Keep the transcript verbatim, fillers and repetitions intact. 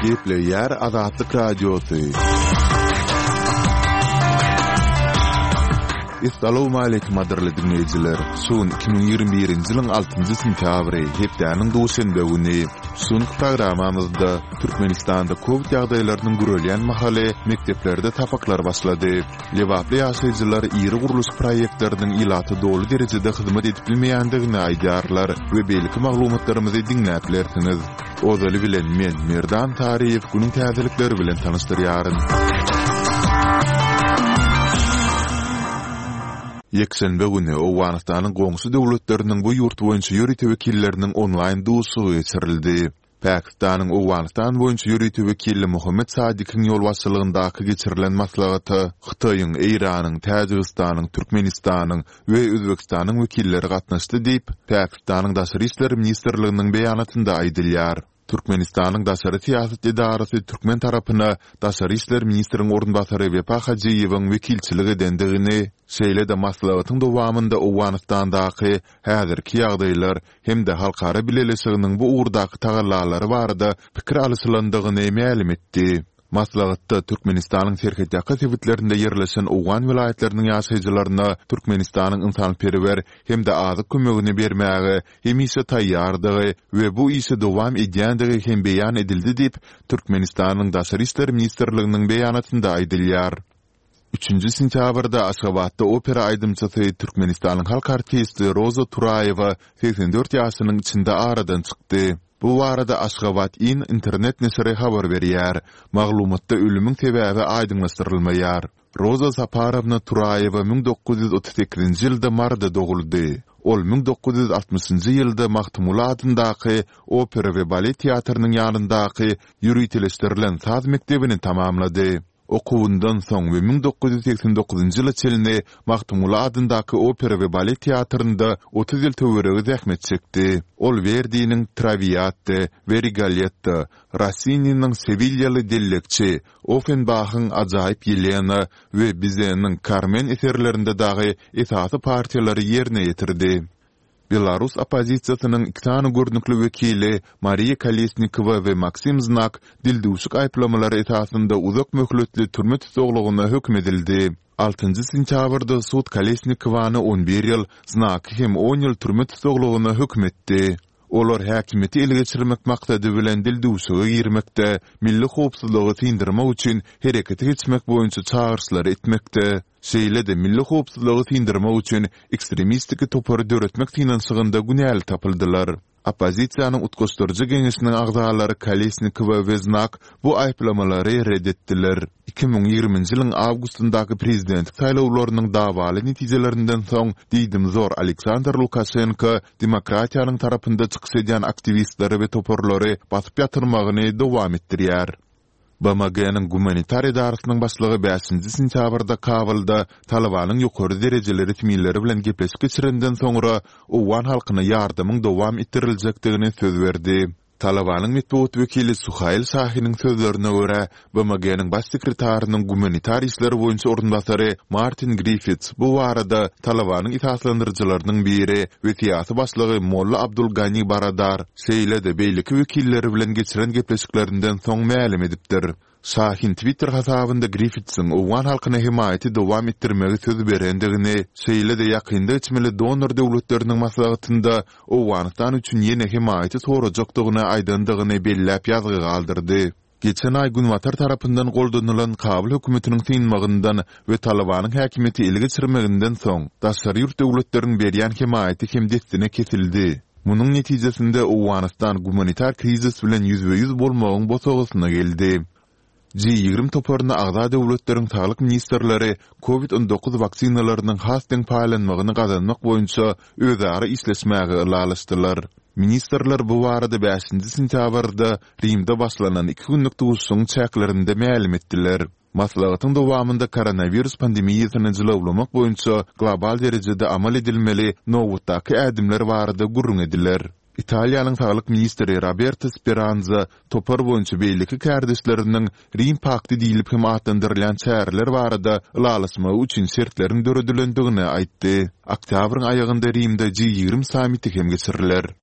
Gepleýär Azatlyk Radiosy. Essalawmaleýkim gadyrly diňleýjiler! Şu gün iki müň ýigrimi birinji ýylyň altynjy sentýabry, hepdäniň duşenbe güni. Şu günki programmamyzda Türkmenistanda kowid ýagdaýlarynyň gürelýän mahaly mekdeplerde sapaklar başlady. Lebaply ýaşaýjylar iri gurluşyk proýektleriniň ilata doly derejede hyzmat edip bilmeýändigini aýdýarlar we beýleki maglumatlarymyzy diňläp bilersiňiz. Ozaly bilen men, Merdan Saryýew günüň täzelikleri bilen tanyşdyrýaryn. Ýekşenbe güni Owganystanyň goňşy döwletleriniň bu ýurt boýunça ýörite wekilleriniň onlaýn duşuşygy geçirildi. Pakistanyň Owganystan boýunça ýörite wekili Mohammed Sadikiň ýolbaşçylygyndaky geçirilen maslahata Hytaýyň, Eýranyň, Täjigistanyň, Türkmenistanyň we Özbegistanyň wekilleri gatnaşdy diýip, Pakistanyň Daşary işler ministrliginiň beýanatynda aýdylýar. Türkmenistanyň daşary syýasat edarasy türkmen tarapyna daşary işler ministriň orunbasary Wepa Hajyýewiň wekilçilik edendigini, şeýle-de maslahatyň dowamynda Owganystandaky häzirki ýagdaýlar hem-de halkara bileleşiginiň bu ugurdaky tagallalary barada pikir alyşylandygyny mälim etdi. Maslahatda Türkmenistanyň serhetýaka sebitlerinde ýerleşen owgan welaýatlarynyň ýaşaýjylaryna Türkmenistanyň ynsanperwer hem-de azyk kömegini bermäge hemişe taýýardygy we bu işi dowam edýändigi hem beýan edildi diýip, Türkmenistanyň Daşary işler ministrliginiň beýanatynda aýdylýar. Üçünji sentýabrda Aşgabatda opera aýdymçysy, Türkmenistanyň halk artisti Roza Turaýewa segsen dört ýaşynyň içinde aradan çykdy. Bu barada Aşgabat. In internet neşiri habar berýär. Maglumatda ölümiň sebäbi aýdyňlaşdyrylmaýar. Roza Saparowna Turaýewa müň dokuz ýüz otuz sekizinji ýylda Maryda doguldy. Ol müň dokuz ýüz altmyşynjy ýylda Magtymguly adyndaky Opera we balet teatrynyň ýanyndaky ýöriteleşdirilen saz mekdebini tamamlady. Okuwyndan soň we müň dokuz ýüz segsen dokuzynjy ýyla çenli Magtymguly adyndaky opera we balet teatrynda otuz ýyl töweregi zähmet çekdi. Ol Werdiniň Trawiatta we Rigoletto, Rossininiň Sewilýaly dellekçi, Offenbahyň Ajaýyp Ýelena we Bizeniň Karmen eserlerinde dagy esasy partiýalary ýerine ýetirdi. Belarus oppozisiýasynyň iki sany görnükli wekili Mariýa Kolesnikowa we Maksim Znak dildüwşük aýyplamalary esasynda uzak möhletli türme tussaglygyna höküm edildi. Altynjy sentýabrda sud Kolesnikowany on bir ýyl, Znaky hem on ýyl türme tussaglygyna höküm etdi. Olar häkimiýeti ele geçirmek maksady bilen dildüwşüge girmekde, milli howpsuzlygy syndyrmak üçin herekete geçmek boýunça çagyryşlary etmekde, Şeýle-de milli howpsuzlygy syndyrmak üçin ekstremistiki topary döretmek synanyşygynda günäli tapyldylar. Oppozisiýanyň Utgaşdyryjy geňeşiniň agzalary Kolesnikowa we Znak bu aýyplamalary ret etdiler. Iki müň ýigriminji ýylyň awgustyndaky prezidentlik saýlawlarynyň dawaly netijelerinden soň diýdimzor Aleksandr Lukaşenko demokratiýanyň tarapynda çykyş edýän aktiwistleri we toparlary basyp ýatyrmagyny dowam etdirýär. BMG-niň Gumanitar edarasynyň başlygy bäşinji sentýabrda Kabulda Talybanyň ýokary derejeli resmileri bilen gepleşik geçirenden soňra owgan halkyna ýardamyň dowam etdiriljekdigini söz berdi. Talybanyň metbugat wekili Suhail Şahiniň sözlerine görä, BMG-niň Baş sekretarynyň gumanitar işler boýunça orunbasary Martin Griffits bu barada Talybanyň esaslandyryjylarynyň biri we syýasy başlygy Molla Abdul Gani Baradar, şeýle-de beýleki wekilleri bilen geçiren gepleşiklerinden soň mälim edipdir. Şahin Twitter hasabynda Griffitsiň owgan halkyna hemaýaty dowam etdirmegi söz berendigini, şeýle-de ýakynda geçmeli donor döwletleriniň maslahatynda Owganystan üçin ýene hemaýaty sorajakdygyny aýdandygyny belläp ýazgy galdyrdy. Geçen aý Günbatar tarapyndan goldanylan Kabul hökümetiniň synmagyndan we Talybanyň häkimiýeti ele geçirmeginden soň, daşary ýurt döwletleriň berýän hemaýaty hem dessine kesildi. Munuň netijesinde Owganystan gumanitar krizis bilen ýüzbe-ýüz bolmagyň bosagasyna geldi. Ji ýigrimi toparyna agza döwletleriň saglyk ministrleri Covid on dokuz waksinalarynyň has deň paýlanmagyny gazanmak boýunça özara işleşmäge ylalaşdylar. Ministrler bu barada bäşinji sentýabrda Rimde başlanan iki günlük duşuşygyň çäklerinde mälim etdiler. Maslahatyň dowamynda koronawirus pandemiýasyny jylawlamak boýunça global derejede amal edilmeli nobatdaky ädimler barada gürrüň ediler. Italiýanyň saglyk ministri Roberto Speranza topar boýunça beýleki kärdeşleriniň Rim pakty diýlip hem atlandyrylýan çäreler barada ylalaşmagy üçin şertleriň döredilendigini aýtdy. Oktýabryň aýagynda Rimde Ji ýigrimi sammiti hem geçiriler.